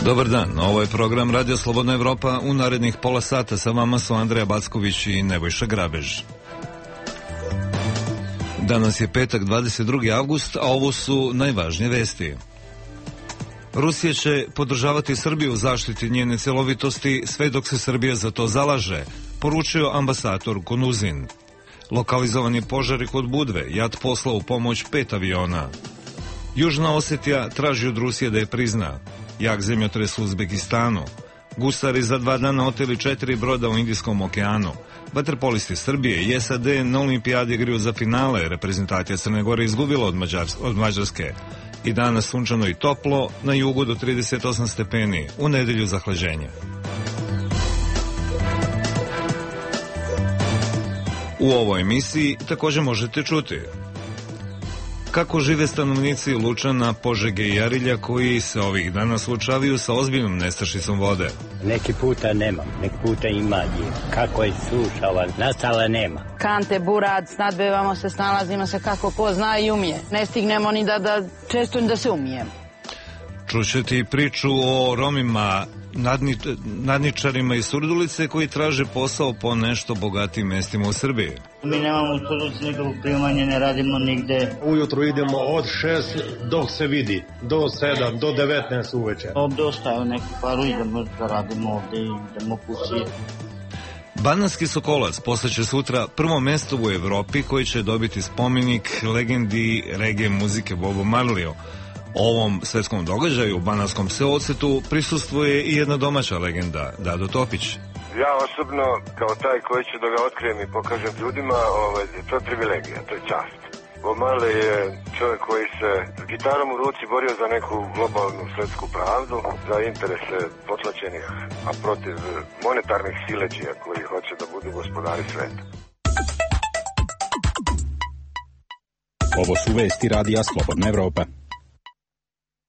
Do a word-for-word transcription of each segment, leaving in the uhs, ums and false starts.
Dobar dan, ovo je program Radio Slobodna Evropa. U narednih pola sata sa vama su Andreja Backović i Nebojša Grabež. Danas je petak, dvadeset drugi avgust, a ovo su najvažnije vesti. Rusija će podržavati Srbiju u zaštiti njene celovitosti sve dok se Srbija za to zalaže, poručio ambasador Konuzin. Lokalizovani požari kod Budve, JAT poslao u pomoć pet aviona. Južna Osetija traži od Rusije da je prizna. Jak zemljotres u Uzbekistanu. Gusari za dva dana oteli četiri broda u Indijskom okeanu. Vaterpolisti Srbije i S A D na olimpijadi igraju za finale. Reprezentacija Crne Gore izgubila od, Mađars od Mađarske. I danas sunčano i toplo, na jugu do trideset osam stepeni, u nedelju zahlađenje. U ovoj emisiji također možete čuti kako žive stanovnici Lučana, Požege i Arilja koji se ovih dana suočavaju sa ozbiljnom nestašicom vode. Neki puta nemam, neki puta ima je. Kako je sušava, nastala nema. Kante, burad, snadbevamo se, snalazimo se kako ko zna i umije. Ne stignemo ni da, da često da se umijemo. Čućete i priču o Romima, nadni, nadničarima iz Surdulice koji traže posao po nešto bogatim mestima u Srbiji. Mi nemamo u Surdulici nikakvog primanja, ne radimo nigde. Ujutru idemo od šest dok se vidi, do sedam, do devetnaest uveče. Ovde ostaje neki paru, idemo da radimo ovde i idemo kući. Banatski Sokolac postaće sutra prvo mesto u Evropi koji će dobiti spomenik legendi reggae muzike Bobu Marleyu. Ovom svetskom događaju u Banatskom Seocetu prisustvuje i jedna domaća legenda, Dado Topić. Ja osobno, kao taj koji će da ga otkrijem i pokažem ljudima, ovaj, to je privilegija, to je čast. Bob Marley je čovjek koji se s gitarom u ruci borio za neku globalnu svetsku pravdu, za interese potlačenih, a protiv monetarnih sileđija koji hoće da budu gospodari sveta. Ovo su vesti Radija Slobodna Evropa.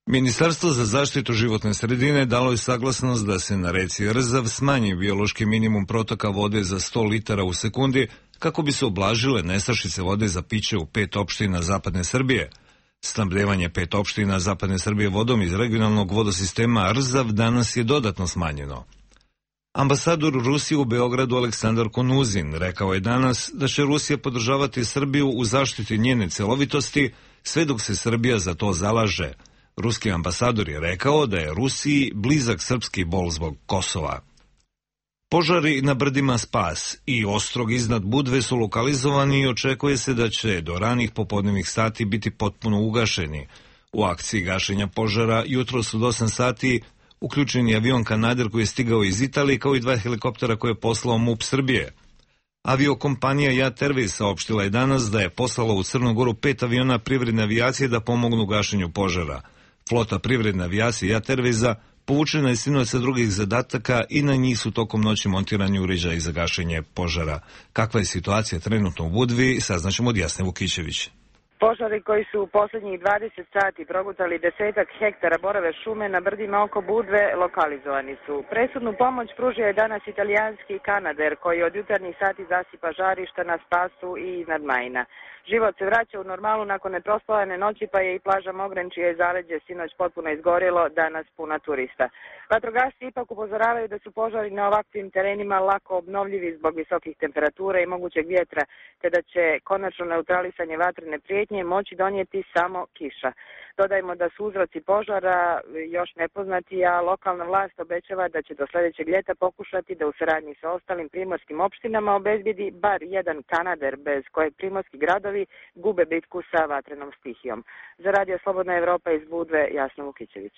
Ministarstvo za zaštitu životne sredine dalo je saglasnost da se na reci Rzav smanji biološki minimum protoka vode za sto litara u sekundi kako bi se ublažile nestašice vode za piće u pet opština zapadne Srbije. Snabdevanje pet opština zapadne Srbije vodom iz regionalnog vodosistema Rzav danas je dodatno smanjeno. Ambasador Rusije u Beogradu Aleksandar Konuzin rekao je danas da će Rusija podržavati Srbiju u zaštiti njene celovitosti sve dok se Srbija za to zalaže. Ruski ambasador je rekao da je Rusiji blizak srpski bol zbog Kosova. Požari na brdima Spas i Ostrog iznad Budve su lokalizovani i očekuje se da će do ranih popodnevnih sati biti potpuno ugašeni. U akciji gašenja požara jutros od osam sati uključen je avion Kanader koji je stigao iz Italije kao i dva helikoptera koje je poslao MUP Srbije. Aviokompanija JAT Airways saopštila je danas da je poslala u Crnu Goru pet aviona privredne avijacije da pomognu u gašenju požara. Flota privredne avijacije JAT Airwaysa povučena je sinoć sa drugih zadataka i na njih su tokom noći montirani uređaji za gašenje požara. Kakva je situacija trenutno u Budvi, saznaćemo od Jasne Vukićević. Požari koji su u posljednjih dvadeset sati progutali desetak hektara borove šume na brdima oko Budve lokalizovani su. Presudnu pomoć pružio je danas italijanski Kanader koji od jutarnjih sati zasipa žarišta na Spasu i iznad Majina. Život se vraća u normalu nakon neprospavane noći pa je i plaža Mogren čije je zaleđe sinoć potpuno izgorjelo, danas puna turista. Vatrogasci ipak upozoravaju da su požari na ovakvim terenima lako obnovljivi zbog visokih temperatura i mogućeg vjetra, te da će konačno neutralisanje vatrene prijetnje moći donijeti samo kiša. Dodajmo da su uzroci požara još nepoznati, a lokalna vlast obećava da će do sljedećeg ljeta pokušati da u saradnji sa ostalim primorskim opštinama obezbijedi bar jedan Kanader bez kojeg primorski gradovi gube bitku sa vatrenom stihijom. Za Radio Slobodna Evropa iz Budve, Jasna Vukićević.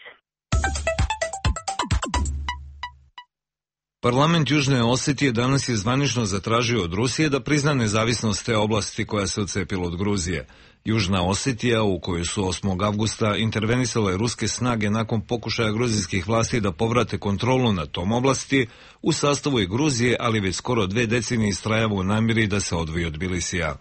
Parlament Južne Osetije danas je zvanično zatražio od Rusije da prizna nezavisnost te oblasti koja se odcepila od Gruzije. Južna Osetija, u kojoj su osmog avgusta intervenisale ruske snage nakon pokušaja gruzijskih vlasti da povrate kontrolu nad tom oblasti, u sastavu je Gruzije, ali već skoro dve decenije istrajava u namjeri da se odvoji od Bilisija.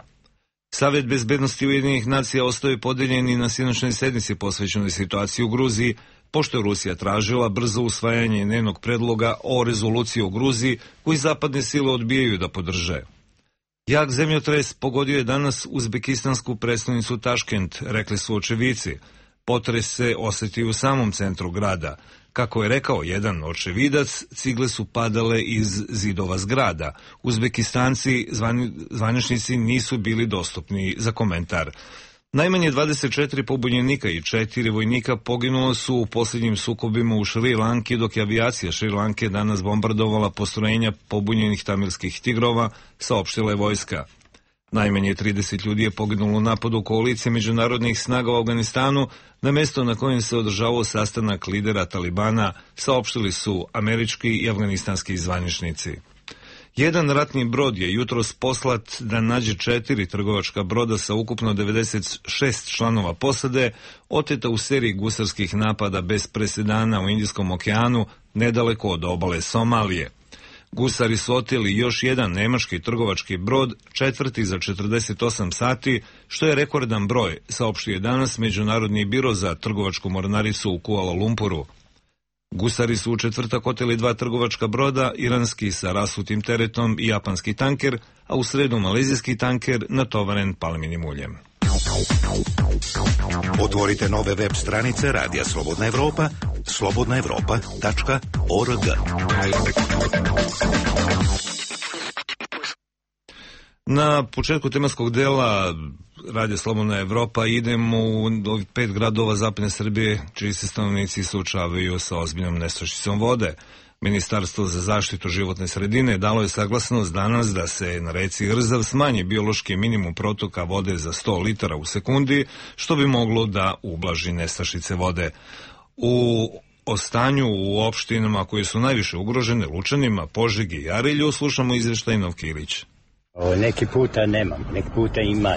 Savet bezbednosti Ujedinjenih nacija ostao podeljen i na sinoćnoj sednici posvećenoj situaciji u Gruziji, pošto je Rusija tražila brzo usvajanje njenog predloga o rezoluciji o Gruziji koji zapadne sile odbijaju da podrže. Jak zemljotres pogodio je danas uzbekistansku prestonicu Taškent, rekli su očevici. Potres se osjeti u samom centru grada. Kako je rekao jedan očevidac, cigle su padale iz zidova zgrada. Uzbekistanci zvani, zvaničnici nisu bili dostupni za komentar. Najmanje dvadeset četiri pobunjenika i četiri vojnika poginulo su u posljednjim sukobima u Šri Lanki, dok je avijacija Šri Lanke danas bombardovala postrojenja pobunjenih tamilskih tigrova, saopštila je vojska. Najmanje trideset ljudi je poginulo u napadu koalicije međunarodnih snaga u Afganistanu na mesto na kojem se održavao sastanak lidera Talibana, saopštili su američki i afganistanski zvaničnici. Jedan ratni brod je jutros poslat da nađe četiri trgovačka broda sa ukupno devedeset šest članova posade, oteta u seriji gusarskih napada bez presedana u Indijskom okeanu, nedaleko od obale Somalije. Gusari su oteli još jedan nemački trgovački brod, četvrti za četrdeset osam sati, što je rekordan broj, saopštio je danas Međunarodni biro za trgovačku mornaricu u Kuala Lumpuru. Gusari su u četvrtak oteli dva trgovačka broda, iranski sa rasutim teretom i japanski tanker, a u sredu malezijski tanker natovaren palminim uljem. Otvorite nove web stranice Radija Slobodna Evropa, slobodna evropa tačka org. Na početku tematskog dela Radija Slobodna Evropa idemo u ovih pet gradova zapadne Srbije, čiji se stanovnici suočavaju sa ozbiljnom nestašicom vode. Ministarstvo za zaštitu životne sredine dalo je saglasnost danas da se na reci Rzav smanji biološki minimum protoka vode za sto litara u sekundi, što bi moglo da ublaži nestašice vode. U o stanju u opštinama koje su najviše ugrožene, Lučanima, Požegi i Arilju, slušamo izveštaj Novkilić. Neki puta nemam, neki puta ima.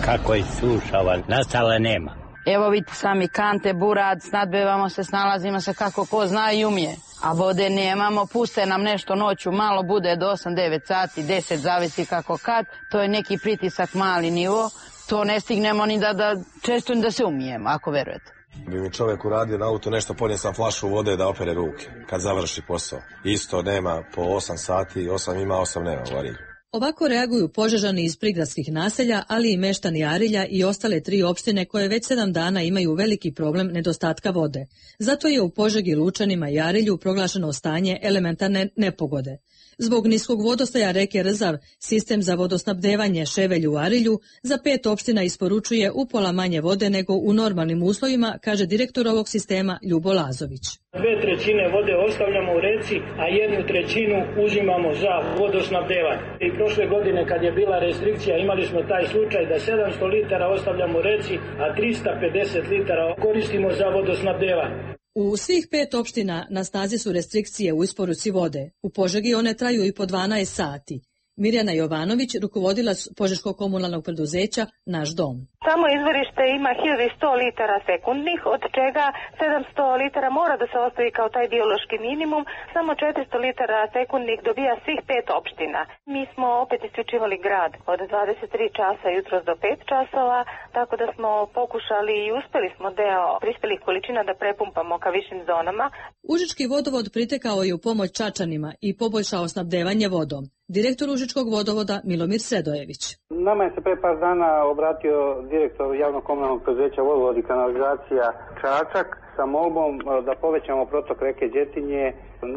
Kako je sušava, nastala nema. Evo vidite sami kante, burad, snadbevamo se, snalazimo se kako ko zna i umije. A vode nemamo, puste nam nešto noću, malo bude do osam devet sati, deset, zavisi kako kad. To je neki pritisak, mali nivo. To ne stignemo ni da, da često ni da se umijemo, ako verujete. Bi mi čovjek uradio na auto nešto, ponio sam flašu vode da opere ruke, kad završi posao. Isto nema po osam sati, osam ima, osam nema u Arilju. Ovako reaguju Požežani iz prigradskih naselja, ali i meštani Arilja i ostale tri opštine koje već sedam dana imaju veliki problem nedostatka vode. Zato je u Požegi, Lučanima i Arilju proglašeno stanje elementarne nepogode. Zbog niskog vodostaja reke Rzav, sistem za vodosnabdevanje Ševelj u Arilju za pet opština isporučuje upola manje vode nego u normalnim uslovima, kaže direktor ovog sistema Ljubo Lazović. Dve trećine vode ostavljamo u reci, a jednu trećinu uzimamo za vodosnabdevanje. I prošle godine kad je bila restrikcija imali smo taj slučaj da sedamsto litara ostavljamo u reci, a trista pedeset litara koristimo za vodosnabdevanje. U svih pet opština na snazi su restrikcije u isporuci vode. U Požegi one traju i po dvanaest sati. Mirjana Jovanović, rukovodilac Požeškog komunalnog preduzeća Naš dom. Samo izvorište ima hiljadu sto litara sekundnih, od čega sedamsto litara mora da se ostavi kao taj biološki minimum, samo četiristo litara sekundnih dobija svih pet opština. Mi smo opet isključivali grad od dvadeset tri časa jutros do pet časova, tako da smo pokušali i uspeli smo deo prispelih količina da prepumpamo ka višim zonama. Užički vodovod pritekao je u pomoć Čačanima i poboljšao snabdevanje vodom. Direktor Užičkog vodovoda Milomir Sredojević. Nama je se pre par dana obratio direktor javnog komunalnog preduzeća Vodovod i kanalizacija Čačak sa molbom da povećamo protok reke Đetinje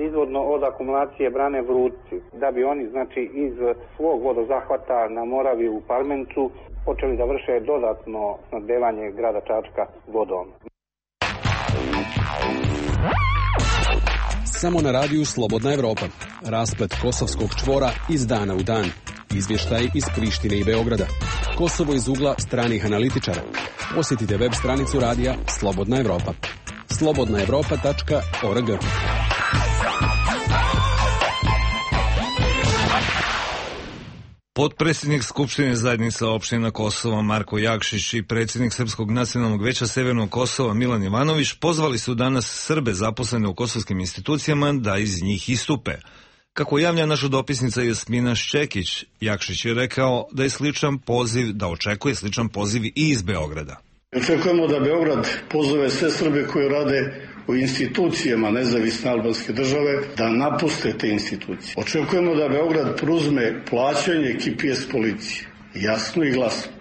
nizvodno od akumulacije brane Vrutci, da bi oni znači iz svog vodozahvata na Moravi u Parmencu počeli da vrše dodatno snabdevanje grada Čačka vodom. Samo na radiju Slobodna Evropa. Rasplet kosovskog čvora iz dana u dan. Izvještaj iz Prištine i Beograda. Kosovo iz ugla stranih analitičara. Posjetite web stranicu radija Slobodna Evropa. slobodna evropa tačka org. Potpredsjednik Skupštine zajednica opština Kosova Marko Jakšić i predsjednik Srpskog nacionalnog veća Severnog Kosova Milan Ivanović pozvali su danas Srbe zaposlene u kosovskim institucijama da iz njih istupe. Kako javlja naša dopisnica Jasmina Šćekić, Jakšić je rekao da je sličan poziv, da očekuje sličan poziv i iz Beograda. Očekujemo da Beograd pozove sve Srbe koji rade u institucijama nezavisne albanske države da napuste te institucije. Očekujemo da Beograd preuzme plaćanje K P S policije. Jasno i glasno.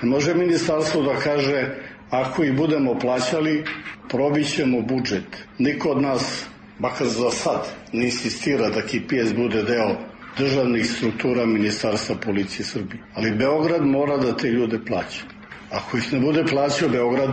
Ne može ministarstvo da kaže Ako ih budemo plaćali, probićemo budžet. Niko od nas, makar za sad, ne insistira da K P S bude deo državnih struktura Ministarstva policije Srbije. Ali Beograd mora da te ljude plaća. Ako ih ne bude plaćao Beograd,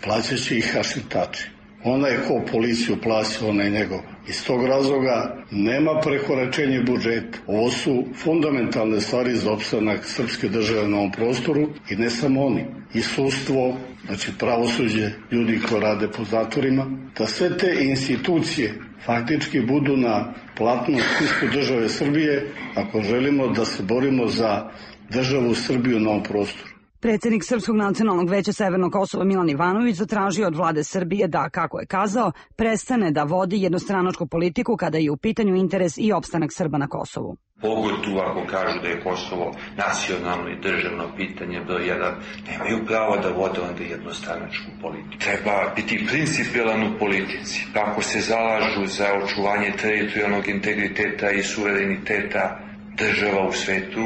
plaćaće ih Hašim Tači. Ona je ko policiju plaća, ona je njegova. Iz tog razloga nema prekoračenja budžeta. Ovo su fundamentalne stvari za opstanak srpske države na ovom prostoru i ne samo oni. I sudstvo, znači pravosuđe, ljudi koji rade po zatvorima, da sve te institucije faktički budu na platnom spisku države Srbije ako želimo da se borimo za državu Srbiju na ovom prostoru. Predsjednik Srpskog nacionalnog veća Severnog Kosova Milan Ivanović zatražio od vlade Srbije da, kako je kazao, prestane da vodi jednostranačku politiku kada je u pitanju interes i opstanak Srba na Kosovu. Pogotovo ako kažu da je Kosovo nacionalno i državno pitanje broj jedan, nemaju pravo da vode onda jednostranačku politiku. Treba biti principijelan u politici. Ako se zalažu za očuvanje teritorijalnog integriteta i suvereniteta država u svetu,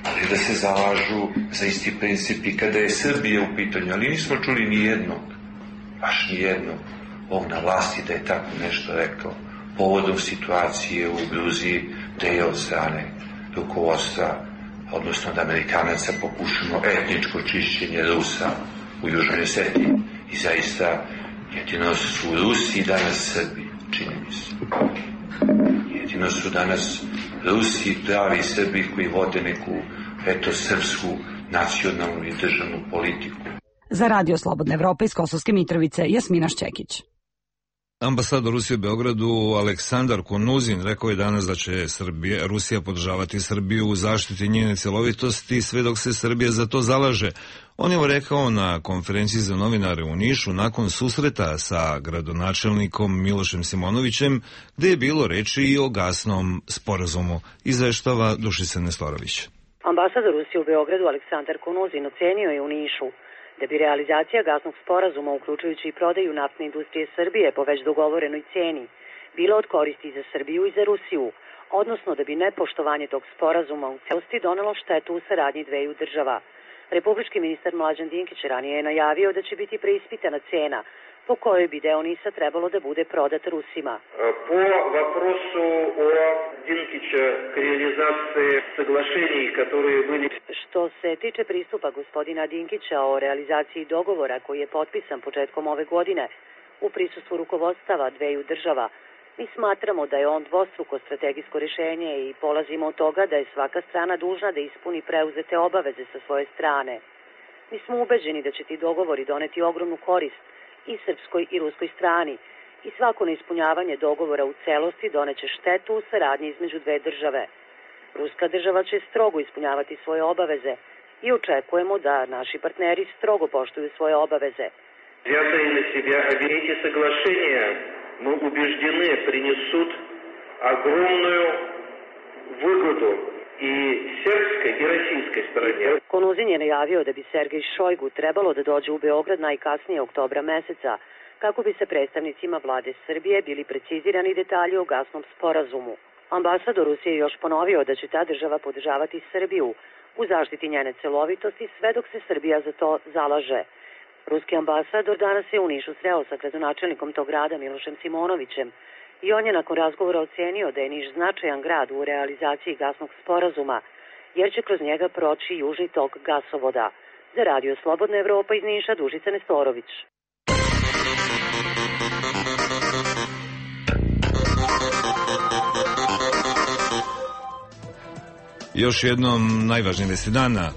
ali da se zalažu za isti princip i kada je Srbija u pitanju. Ali nismo čuli ni jednog, baš ni jednog, ovog na vlasti da je tako nešto rekao povodom situacije u Gruziji, da je od strane rukovodstva, odnosno da Amerikanaca pokušamo etničko čišćenje Rusa u Južnoj Osetiji. I zaista jedino su Rusi i danas Srbi, čini mi se. Jedino su danas Rusi pravi Srbi koji vode neku, eto, srpsku nacionalnu i državnu politiku. Za Radio Slobodna Evropa iz Kosovske Mitrovice, Jasmina Šćekić. Ambasador Rusije u Beogradu Aleksandar Konuzin rekao je danas da će Srbija, Rusija podržavati Srbiju u zaštiti njene celovitosti sve dok se Srbija za to zalaže. On je rekao na konferenciji za novinare u Nišu nakon susreta sa gradonačelnikom Milošem Simonovićem, gde je bilo reči i o gasnom sporazumu, izveštava Dušica Nestorović. Ambasador Rusije u Beogradu Aleksandar Konuzin ocenio je u Nišu da bi realizacija gasnog sporazuma, uključujući i prodaju naftne industrije Srbije po već dogovorenoj ceni, bila od koristi za Srbiju i za Rusiju, odnosno da bi nepoštovanje tog sporazuma u celosti donelo štetu u saradnji dveju država. Republički ministar Mlađan Dinkić ranije je najavio da će biti preispitana cena po kojoj bi deo NIS-a trebalo da bude prodat Rusima. Po вопросу o Dinkića k realizaciji соглашений, которые были... Što se tiče pristupa gospodina Dinkića o realizaciji dogovora koji je potpisan početkom ove godine u prisustvu rukovodstava dveju država, mi smatramo da je on dvostruko strategijsko rješenje i polazimo od toga da je svaka strana dužna da ispuni preuzete obaveze sa svoje strane. Mi smo ubeđeni da će ti dogovori doneti ogromnu korist i srpskoj i ruskoj strani i svako neispunjavanje dogovora u celosti doneće štetu u saradnji između dve države. Ruska država će strogo ispunjavati svoje obaveze i očekujemo da naši partneri strogo poštuju svoje obaveze. Взятые на себя эти соглашения, мы убеждены, принесут огромную выгоду i srpskoj i российской strane. Konuzin je najavio da bi Sergej Šojgu trebalo da dođe u Beograd najkasnije oktobra meseca, kako bi se predstavnicima vlade Srbije bili precizirani detalji o gasnom sporazumu. Ambasador Rusije još ponovio da će ta država podržavati Srbiju u zaštiti njene celovitosti sve dok se Srbija za to zalaže. Ruski ambasador danas je u Nišu sreo sa gradonačelnikom tog grada Milošem Simonovićem i on je nakon razgovora ocenio da je Niš značajan grad u realizaciji gasnog sporazuma, jer će kroz njega proći južni tok gasovoda. Za Radio Slobodna Evropa iz Niša, Dušica Nestorović. Još jednom najvažnije vesti dana.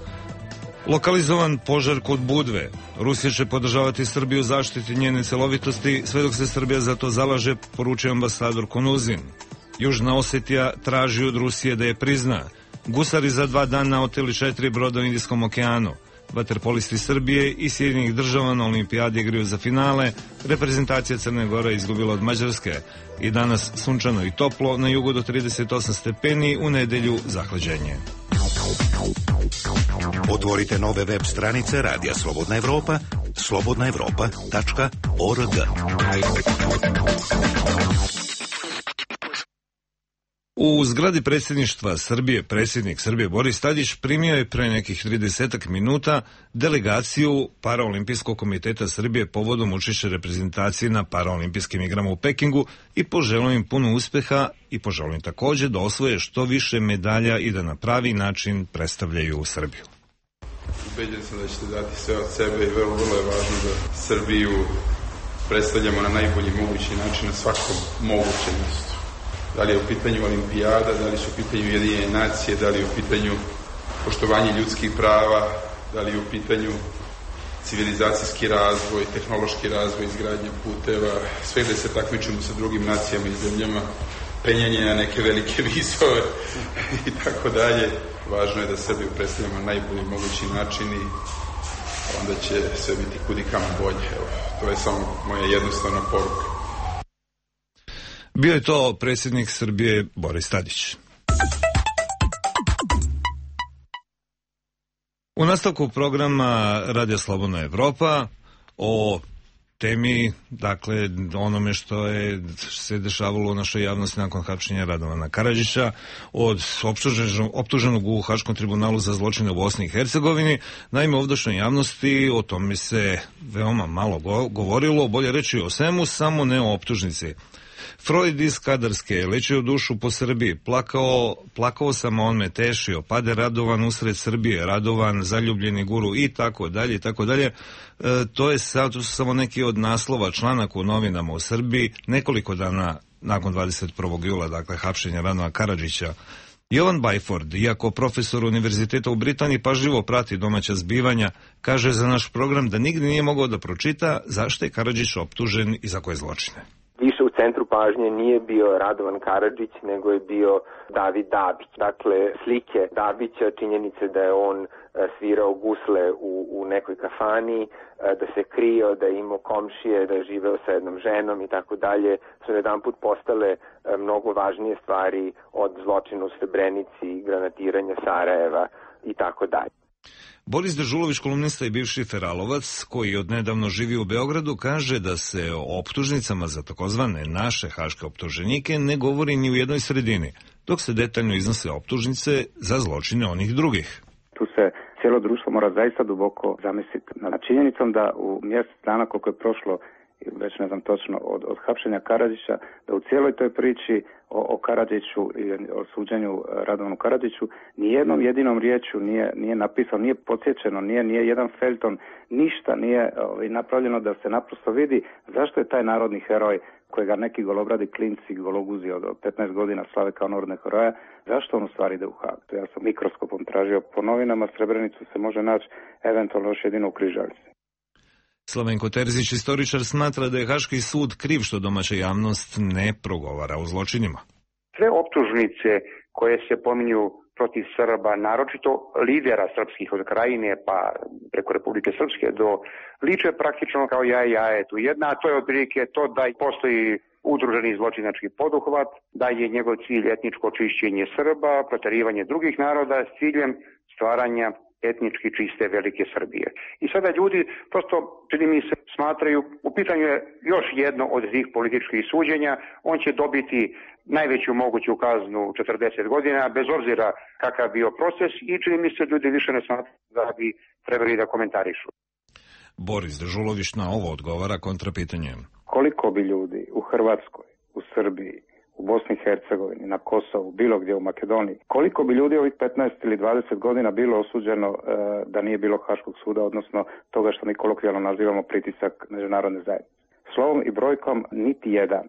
Lokalizovan požar kod Budve. Rusija će podržavati Srbiju u zaštiti njene celovitosti sve dok se Srbija za to zalaže, poručuje ambasador Konuzin. Južna Osetija traži od Rusije da je prizna. Gusari za dva dana oteli četiri broda u Indijskom okeanu. Vaterpolisti Srbije i Sjedinjenih država na olimpijadi igraju za finale. Reprezentacija Crne Gore izgubila od Mađarske. I danas sunčano i toplo, na jugu do trideset osam stepeni, u nedelju zahlađenje. Otvorite nove web stranice Radija Slobodna Evropa, slobodna evropa tačka org. U zgradi predsjedništva Srbije predsjednik Srbije Boris Tadić primio je pre nekih tridesetak minuta delegaciju Paraolimpijskog komiteta Srbije povodom učešća reprezentacije na Paraolimpijskim igrama u Pekingu i poželio im puno uspeha i poželio im također da osvoje što više medalja i da na pravi način predstavljaju Srbiju. Ubeđen sam da ćete dati sve od sebe i vrlo, vrlo je važno da Srbiju predstavljamo na najbolji mogući način na svakom mogućem mjestu. Da li je u pitanju olimpijada, da li su u pitanju Ujedinjene nacije, da li je u pitanju poštovanje ljudskih prava, da li je u pitanju civilizacijski razvoj, tehnološki razvoj, izgradnja puteva, sve gde se takmičimo sa drugim nacijama i zemljama, penjanje na neke velike visove i tako dalje. Važno je da Srbiju predstavljamo na najbolji mogući način i onda će sve biti kudikamo bolje. Evo, to je samo moja jednostavna poruka. Bio je to predsjednik Srbije Boris Tadić. U nastavku programa Radija Slobodna Evropa o temi, dakle, onome što je se dešavalo u našoj javnosti nakon hapšenja Radovana Karadžića od optuženog, optuženog u Haškom tribunalu za zločine u Bosni i Hercegovini. Naime, u ovdašnjoj javnosti o tome se veoma malo govorilo, bolje reći o svemu, samo ne o optužnici. Freud iz Kadarske je lečio dušu po Srbiji, plakao, plakao sam, on me tešio, pade Radovan usred Srbije, Radovan, zaljubljeni guru i tako dalje i tako dalje. E, to je sad, to su samo neki od naslova članaka u novinama u Srbiji, nekoliko dana nakon dvadeset prvog jula, dakle, hapšenja Radovana Karadžića. Jovan Bajford, iako profesor univerziteta u Britaniji pažljivo prati domaća zbivanja, kaže za naš program da nigdje nije mogao da pročita zašto je Karadžić optužen i za koje zločine. Više u centru pažnje nije bio Radovan Karadžić, nego je bio David Dabić. Dakle, slike Dabića, činjenice da je on svirao gusle u, u nekoj kafani, da se krio, da je imao komšije, da je živeo sa jednom ženom i tako dalje, su jedanput postale mnogo važnije stvari od zločina u Srebrenici, granatiranja Sarajeva i tako dalje. Boris Dežulović, kolumnista i bivši feralovac, koji odnedavno živi u Beogradu, kaže da se o optužnicama za takozvane naše haške optuženike ne govori ni u jednoj sredini, dok se detaljno iznose optužnice za zločine onih drugih. Tu se cijelo društvo mora zaista duboko zamisliti nad činjenicom da u mjesec dana koliko je prošlo, već ne znam točno, od, od hapšenja Karadžića, da u cijeloj toj priči o, o Karadžiću i o suđenju Radovanu Karadžiću nijednom jedinom riječju nije, nije napisano, nije podsjećeno, nije, nije jedan feljton, ništa nije ovaj, napravljeno da se naprosto vidi zašto je taj narodni heroj kojega neki golobradi klinci, gologuzi od petnaest godina slave kao narodne heroja, zašto on u stvari ide u Hag? Ja sam mikroskopom tražio po novinama, Srebrenicu se može naći eventualno još jedino u Križalici. Slavenko Terzić, istoričar, smatra da je Haški sud kriv što domaća javnost ne progovara o zločinima. Sve optužnice koje se pominju protiv Srba, naročito lidera srpskih od Krajine pa preko Republike Srpske do liče praktično kao jaje jajetu. Jedna, a to je otprilike to da postoji udruženi zločinački poduhvat, da je njegov cilj etničko čišćenje Srba, proterivanje drugih naroda s ciljem stvaranja etnički čiste velike Srbije. I sada ljudi prosto, čini mi se, smatraju, u pitanju je još jedno od tih političkih suđenja, on će dobiti najveću moguću kaznu četrdeset godina, bez obzira kakav bio proces, i čini mi se ljudi više ne smatraju da bi trebali da komentarišu. Boris Dežulović na ovo odgovara kontrapitanjem. Koliko bi ljudi u Hrvatskoj, u Srbiji, u Bosni i Hercegovini, na Kosovu, bilo gdje u Makedoniji, koliko bi ljudi ovih petnaest ili dvadeset godina bilo osuđeno e, da nije bilo Haškog suda, odnosno toga što mi kolokvijalno nazivamo pritisak međunarodne zajednice. Slovom i brojkom niti jedan.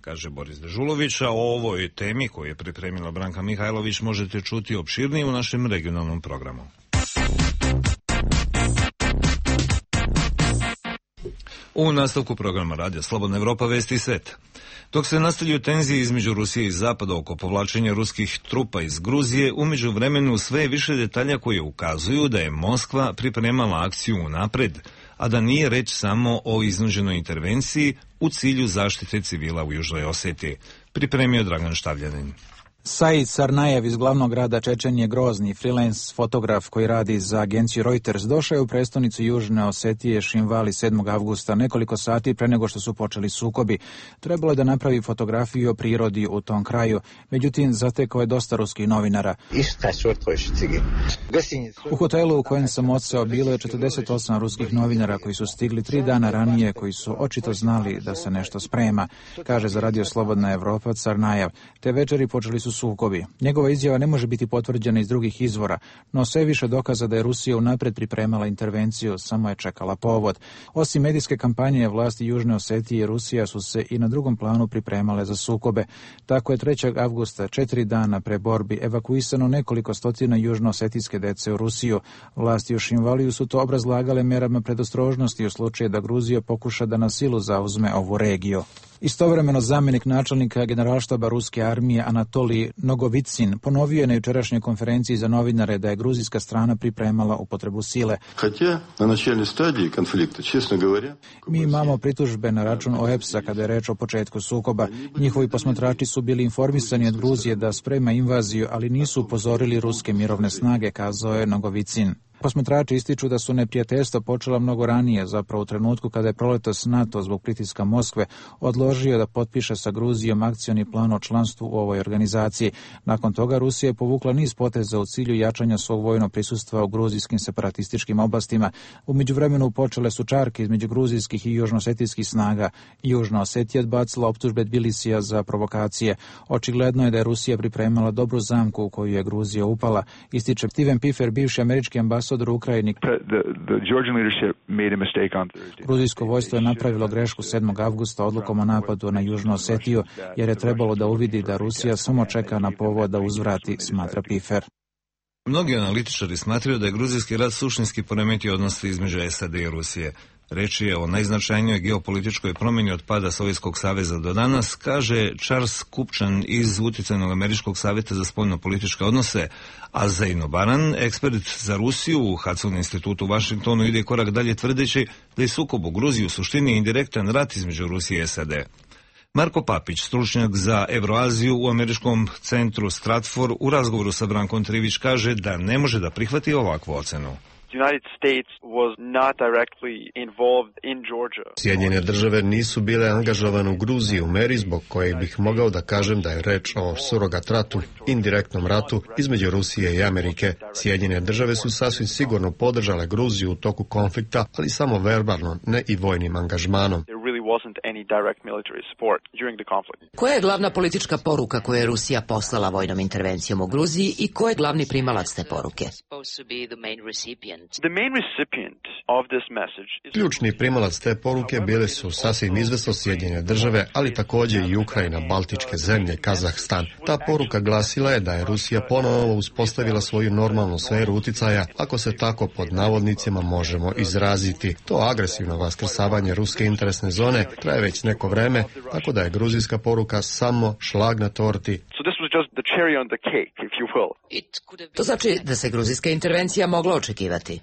Kaže Boris Dežulović, a o ovoj temi koju je pripremila Branka Mihajlović možete čuti opširnije u našem regionalnom programu. U nastavku programa Radija Slobodna Evropa vesti svet. Dok se nastavljaju tenzije između Rusije i Zapada oko povlačenja ruskih trupa iz Gruzije, u međuvremenu sve je više detalja koje ukazuju da je Moskva pripremala akciju unapred, a da nije reč samo o iznuđenoj intervenciji u cilju zaštite civila u Južnoj Osetiji, pripremio Dragan Štavljanin. Said Sarnajev iz glavnog grada Čečenije, grozni freelance fotograf koji radi za agenciju Reuters, došao je u prestonicu Južne Osetije Šinvali sedmog avgusta, nekoliko sati pre nego što su počeli sukobi. Trebalo je da napravi fotografiju o prirodi u tom kraju, međutim zatekao je dosta ruskih novinara. U hotelu u kojem sam odseo bilo je četrdeset osam ruskih novinara koji su stigli tri dana ranije, koji su očito znali da se nešto sprema, kaže za Radio Slobodna Evropa Sarnajev. Te večeri počeli su sukobi. Njegova izjava ne može biti potvrđena iz drugih izvora, no sve više dokaza da je Rusija unapred pripremala intervenciju, samo je čekala povod. Osim medijske kampanje, vlasti Južne Osetije i Rusija su se i na drugom planu pripremale za sukobe. Tako je trećeg avgusta, četiri dana pre borbi, evakuisano nekoliko stotina južnoosetijske dece u Rusiju. Vlasti u Šinvaliju su to obrazlagale merama predostrožnosti u slučaju da Gruzija pokuša da na silu zauzme ovu regiju. Istovremeno zamjenik načelnika generalštaba ruske armije Anatolij Nogovicin ponovio je na jučerašnjoj konferenciji za novinare da je gruzijska strana pripremala upotrebu sile. Mi imamo pritužbe na račun O E P S-a kada je reč o početku sukoba. Njihovi posmatrači su bili informisani od Gruzije da sprema invaziju, ali nisu upozorili ruske mirovne snage, kazao je Nogovicin. Posmatrači ističu da su neprijateljstva počela mnogo ranije, zapravo u trenutku kada je proletos NATO zbog pritiska Moskve odložio da potpiše sa Gruzijom akcioni plan o članstvu u ovoj organizaciji. Nakon toga Rusija je povukla niz poteza u cilju jačanja svog vojnog prisustva u gruzijskim separatističkim oblastima. U međuvremenu počele su čarke između gruzijskih i južnoosetijskih snaga. Južna Osetija odbacila optužbe Tbilisija za provokacije. Očigledno je da je Rusija pripremala dobru zamku u koju je Gruzija upala, ističe Steven Piffer, bivši američki ambasador u Ukrajini. Gruzijsko vojstvo je napravilo grešku sedmog avgusta odlukom o napadu na Južnu Osetiju, jer je trebalo da uvidi da Rusija samo čeka na povod da uzvrati, smatra Piffer. Mnogi analitičari smatraju da je gruzijski rat suštinski poremetio odnose između S A D i Rusije. Reč je o najznačajnijoj geopolitičkoj promjeni od pada Sovjetskog saveza do danas, kaže Charles Kupčan iz Uticajnog američkog savjeta za spoljno-političke odnose, a Zeino Baran, ekspert za Rusiju u Hudson institutu u Vašingtonu, ide korak dalje tvrdeći da je sukob u Gruziji u suštini indirektan rat između Rusije i S A D. Marko Papić, stručnjak za Evroaziju u američkom centru Stratfor, u razgovoru sa Brankom Trivić kaže da ne može da prihvati ovakvu ocenu. Sjedinjene države nisu bile angažovane u Gruziji u meri zbog koje bih mogao da kažem da je reč o surogat ratu, indirektnom ratu između Rusije i Amerike. Sjedinjene države su sasvim sigurno podržale Gruziju u toku konflikta, ali samo verbalno, ne i vojnim angažmanom. Koja je glavna politička poruka koju je Rusija poslala vojnom intervencijom u Gruziji i ko je glavni primalac te poruke? Ključni primalac te poruke bile su sasvim izvesno Sjedinjene države, ali također i Ukrajina, Baltičke zemlje, Kazahstan. Ta poruka glasila je da je Rusija ponovo uspostavila svoju normalnu sferu uticaja, ako se tako pod navodnicima možemo izraziti. To agresivno vaskrsavanje ruske interesne zone traje već neko vreme, tako da je gruzijska poruka samo šlag na torti. To znači da se gruzijska intervencija mogla očekivati.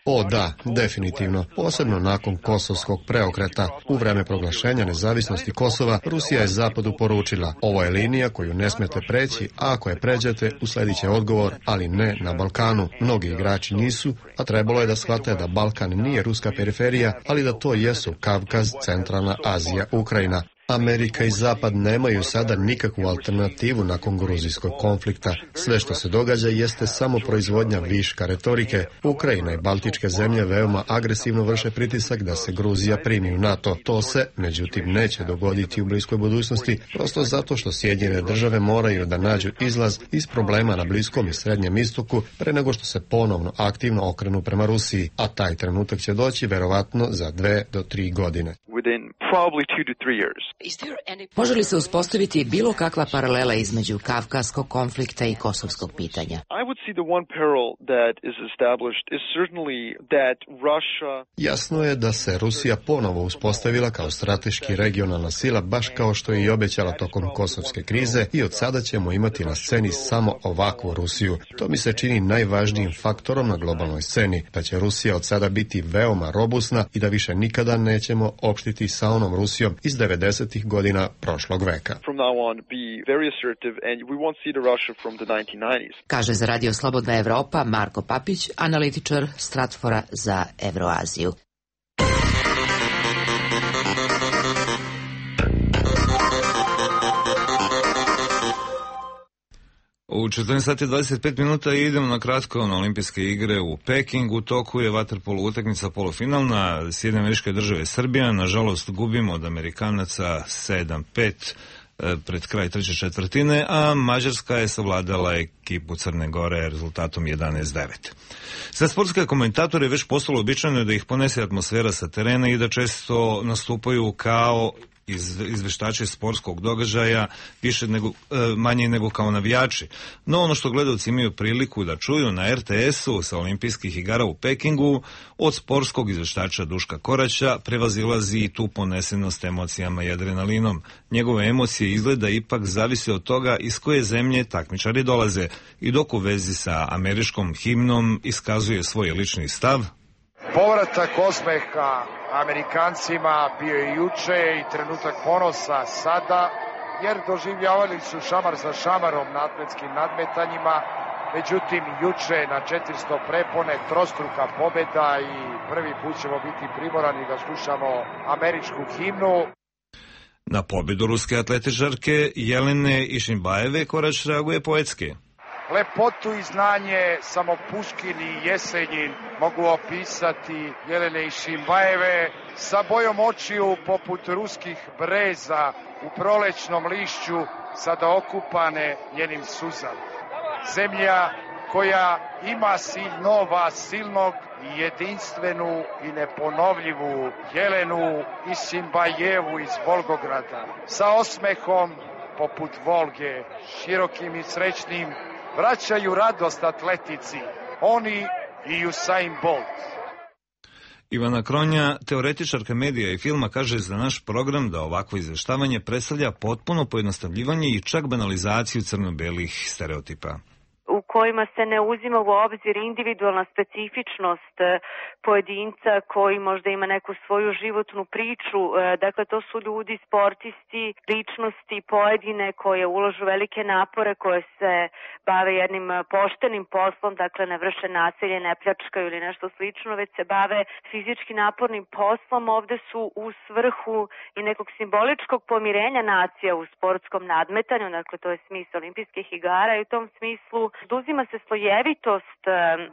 O da, definitivno. Posebno nakon kosovskog preokreta. U vreme proglašenja nezavisnosti Kosova, Rusija je Zapadu poručila: ovo je linija koju ne smete preći, a ako je pređete, usledit će odgovor, ali ne na Balkanu. Mnogi igrači nisu, a trebalo je da shvate da Balkan nije ruska periferija, ali da to jesu Kavkaz, Centralna Azija, Ukrajina. Amerika i Zapad nemaju sada nikakvu alternativu nakon gruzijskog konflikta. Sve što se događa jeste samo proizvodnja viška retorike. Ukrajina i Baltičke zemlje veoma agresivno vrše pritisak da se Gruzija primi u NATO. To se, međutim, neće dogoditi u bliskoj budućnosti, prosto zato što Sjedinjene države moraju da nađu izlaz iz problema na Bliskom i Srednjem istoku pre nego što se ponovno aktivno okrenu prema Rusiji, a taj trenutak će doći verovatno za dve do tri godine. Može li se uspostaviti bilo kakva paralela između kavkaskog konflikta i kosovskog pitanja? Jasno je da se Rusija ponovo uspostavila kao strateški regionalna sila, baš kao što je i obećala tokom kosovske krize, i od sada ćemo imati na sceni samo ovakvu Rusiju. To mi se čini najvažnijim faktorom na globalnoj sceni, da će Rusija od sada biti veoma robusna i da više nikada nećemo opštiti sa onom Rusijom iz devedesetih devedesetih godina prošlog veka. Kaže za Radio Slobodna Evropa Marko Papić, analitičar Stratfora za Evroaziju. U četrnaest sati i dvadeset pet minuta idemo na kratko na olimpijske igre u Pekingu. U toku je vaterpolo utakmica polufinalna Sjedinjene Američke Države Srbija. Nažalost gubimo od Amerikanaca sedam pet pred kraj treće četvrtine, a Mađarska je savladala ekipu Crne Gore rezultatom jedanaest devet. Za sportske komentatore već postalo običajno da ih ponese atmosfera sa terena i da često nastupaju kao iz, izveštači sportskog događaja više nego, e, manje nego kao navijači. No ono što gledalci imaju priliku da čuju na er te esu sa olimpijskih igara u Pekingu od sportskog izveštača Duška Koraća prevazilazi i tu ponesenost emocijama i adrenalinom. Njegove emocije izgleda ipak zavise od toga iz koje zemlje takmičari dolaze i dok u vezi sa američkom himnom iskazuje svoj lični stav. Povratak osmeha Amerikancima bio je juče i trenutak ponosa sada, jer doživljavali su šamar za šamarom na atletskim nadmetanjima, međutim juče na četiristo prepone trostruka pobeda i prvi put ćemo biti primorani da slušamo američku himnu. Na pobjedu ruske atletičarke Jelene Išinbajeve Korać reaguje poetski. Lepotu i znanje samo Puškin i Jesenjin mogu opisati Jelene Išinbajeve sa bojom očiju poput ruskih breza u prolećnom lišću sada okupane njenim suzama. Zemlja koja ima sinova silnog i jedinstvenu i neponovljivu Jelenu Išinbajevu iz Volgograda sa osmehom poput Volge, širokim i srećnim, vraćaju radost atletici, oni i Usain Bolt. Ivana Kronja, teoretičarka medija i filma, kaže za naš program da ovakvo izveštavanje predstavlja potpuno pojednostavljivanje i čak banalizaciju crno-belih stereotipa, u kojima se ne uzima u obzir individualna specifičnost pojedinca koji možda ima neku svoju životnu priču. Dakle, to su ljudi, sportisti, ličnosti pojedine koje uložu velike napore, koje se bave jednim poštenim poslom, dakle ne vrše nasilje, ne pljačkaju ili nešto slično, već se bave fizički napornim poslom. Ovde su u svrhu i nekog simboličkog pomirenja nacija u sportskom nadmetanju, dakle to je smisao olimpijskih igara i u tom smislu oduzima se slojevitost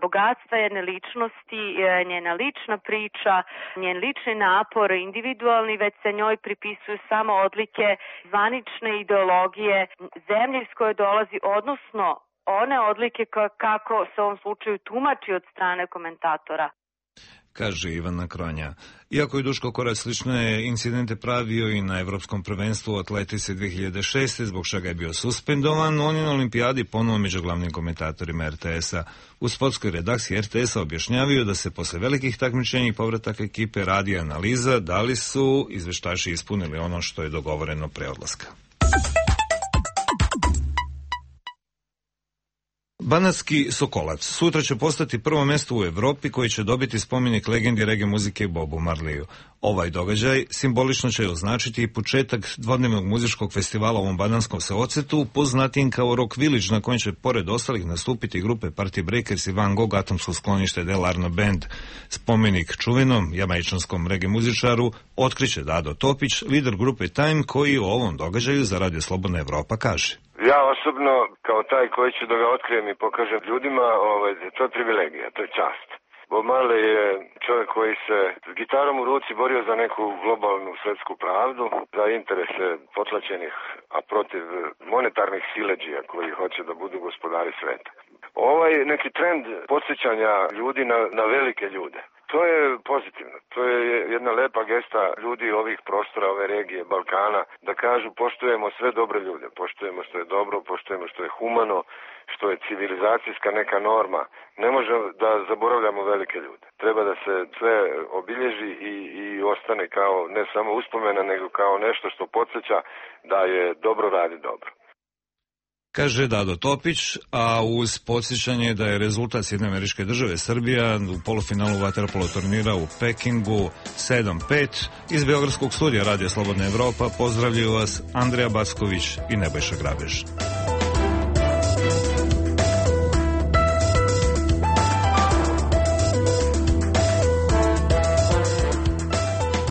bogatstva jedne ličnosti, njena lična priča, njen lični napor, individualni, već se njoj pripisuju samo odlike zvanične ideologije zemlje iz koje dolazi, odnosno one odlike kako se u ovom slučaju tumači od strane komentatora, kaže Ivana Kronja. Iako je Duško Korać slične incidente pravio i na Evropskom prvenstvu u atletici dve hiljade šeste, zbog čega je bio suspendovan, on je na olimpijadi ponovo među glavnim komentatorima er te esa. U sportskoj redakciji er te esa objašnjavaju da se posle velikih takmičenja i povrataka ekipe radi analiza da li su izveštači ispunili ono što je dogovoreno pre odlaska. Banatski Sokolac sutra će postati prvo mesto u Evropi koji će dobiti spomenik legendi reggae muzike Bobu Marleyu. Ovaj događaj simbolično će označiti i početak dvodnevnog muzičkog festivala u ovom bananskom seocetu, poznatim kao Rock Village, na kojem će pored ostalih nastupiti grupe Party Breakers i Van Gogh atomsko sklonište Del Arno Band. Spomenik čuvenom jamajčanskom reggae muzičaru otkriće Dado Topić, lider grupe Time, koji o ovom događaju za Radio Slobodna Evropa kaže. Ja osobno, kao taj koji ću da ga otkrijem i pokažem ljudima, ovaj, to je privilegija, to je čast. Bob Marley je čovjek koji se s gitarom u ruci borio za neku globalnu svetsku pravdu, za interese potlačenih, a protiv monetarnih siledžija koji hoće da budu gospodari sveta. Ovaj neki trend podsjećanja ljudi na, na velike ljude, to je pozitivno. To je jedna lepa gesta ljudi ovih prostora, ove regije, Balkana, da kažu poštujemo sve dobre ljude, poštujemo što je dobro, poštujemo što je humano, što je civilizacijska neka norma. Ne možemo da zaboravljamo velike ljude. Treba da se sve obilježi i, i ostane kao ne samo uspomena, nego kao nešto što podsjeća da je dobro radi dobro. kaže Dado Topić, a uz podsjećanje da je rezultat Sjedinjene Američke Države Srbija u polufinalu vaterpolo turnira u Pekingu sedam pet. Iz Beogradskog studija Radija Slobodna Evropa pozdravljaju vas Andreja Backović i Nebojša Grabež.